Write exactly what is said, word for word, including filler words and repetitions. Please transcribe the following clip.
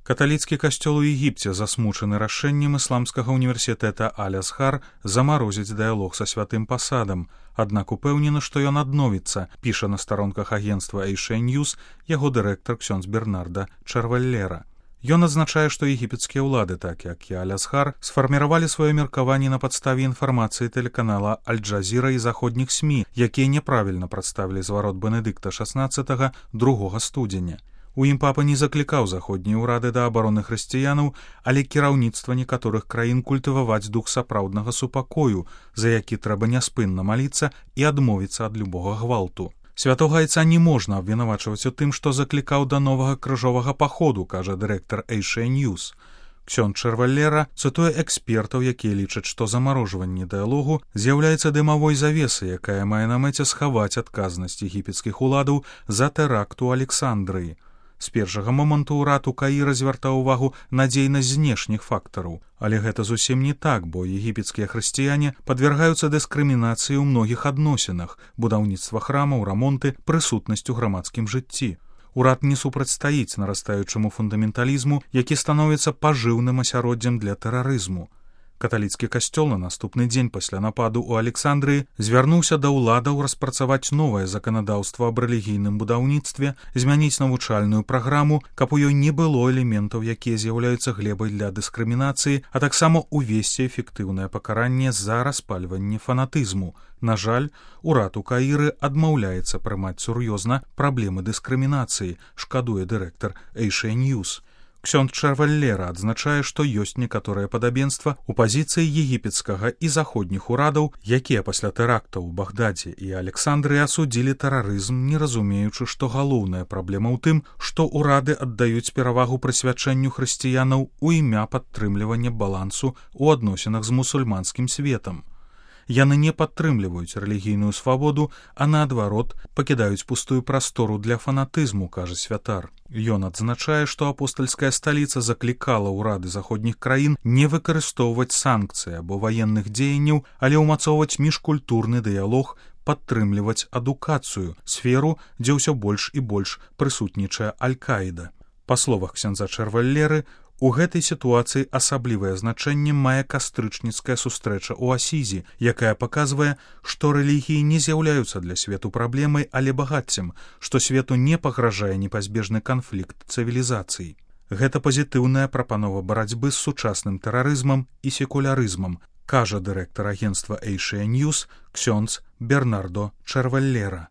Каталіцкі касцёл у Егіпце засмучаны рашэннем ісламскага універсітэта Аль-Азхар замарозіць дыялог са святым пасадам, аднак упэўнены, што ён адновіцца, піша на старонках агенцтва Эйшэ Ньюс яго дырэктар ксёндз Бернарда Чарваллера. Ён адзначае, што егіпецкія ўлады, так як і Аль-Азхар, сфарміравалі сваё меркаванне на падставе інфармацыі тэлеканала Аль-Джазіра і заходніх СМІ, якія няправільна прадставілі зварот Бенедыкта шаснаццатага другога студзеня. У ім папа не заклікаў заходнія ўрады да абароны хрысціянаў, але кіраўніцтва некаторых краін культываваць дух сапраўднага супакою, за які трэба няспынна маліцца і адмовіцца ад любога гвалту. Святога айца не можна абвінавачваць у тым, што заклікаў да новага крыжовага паходу, кажа дырэктар Эйшэ Ньюс. Ксёндз Чарваллера цытуе экспертаў, якія лічаць, што замарожванне дыялогу з'яўляецца дымавой завесай, якая мае на мэце схаваць адказнасць егіпецкіх уладаў за тэракт у Александрыі. З першага моманту ўрад у Каіра звяртаў увагу на дзейнасць знешніх фактараў. Але гэта зусім не так, бо егіпецкія хрысціяне падвяргаюцца дыскрымінацыі ў многіх адносінах: будаўніцтва храмаў, рамонты, прысутнасць у грамадскім жыцці. Урад не супрацьстаіць нарастаючаму фундаменталізму, які становіцца пажыўным асяроддзем для тэрарызму. Каталіцкі касцёл на наступны дзень пасля нападу ў Александрыі звярнуўся да ўладаў распрацаваць новае заканадаўства аб рэлігійным будаўніцтве, змяніць навучальную праграму, каб у ёй не было элементаў, якія з'яўляюцца глебай для дыскрымінацыі, а таксама увесці эфектыўнае пакаранне за распальванне фанатызму. На жаль, урад у Каіры адмаўляецца прымаць сур'ёзна праблемы дыскрымінацыі, шкадуе дырэктар Эйшэ Ньюс. Ксёндз Чарваллера адзначае, што ёсць некаторае падабенства ў пазіцыі егіпецкага і заходніх урадаў, якія пасля тэрактаў у Багдадзе і Александрыі асудзілі тэрарызм, не разумеючы, што галоўная праблема ў тым, што ўрады аддаюць перавагу прысвячэнню хрысціянаў у імя падтрымлівання балансу ў адносінах з мусульманскім светам. Яны не падтрымліваюць рэлігійную свабоду, а наадварот пакідаюць пустую прастору для фанатызму, кажа святар. Ён адзначае, што апостальская сталіца заклікала ўрады заходніх краін не выкарыстоўваць санкцыі або ваенных дзеянняў, але ўмацоўваць міжкультурны дыялог, падтрымліваць адукацыю, сферу, дзе ўсё больш і больш прысутнічае Аль-Каіда. Па словах ксяндза Чарваллеры, у гэтай сітуацыі асаблівае значэнне мае кастрычніцкая сустрэча ў Асізі, якая паказвае, што рэлігіі не з'яўляюцца для свету праблемай, але багаццем, што свету не пагражае непазбежны канфлікт цывілізацый. Гэта пазітыўная прапанова барацьбы з сучасным тэрарызмам і секулярызмам, кажа дырэктар агенцтва Эйшэ Ньюс ксёндз Бернардо Чарваллера.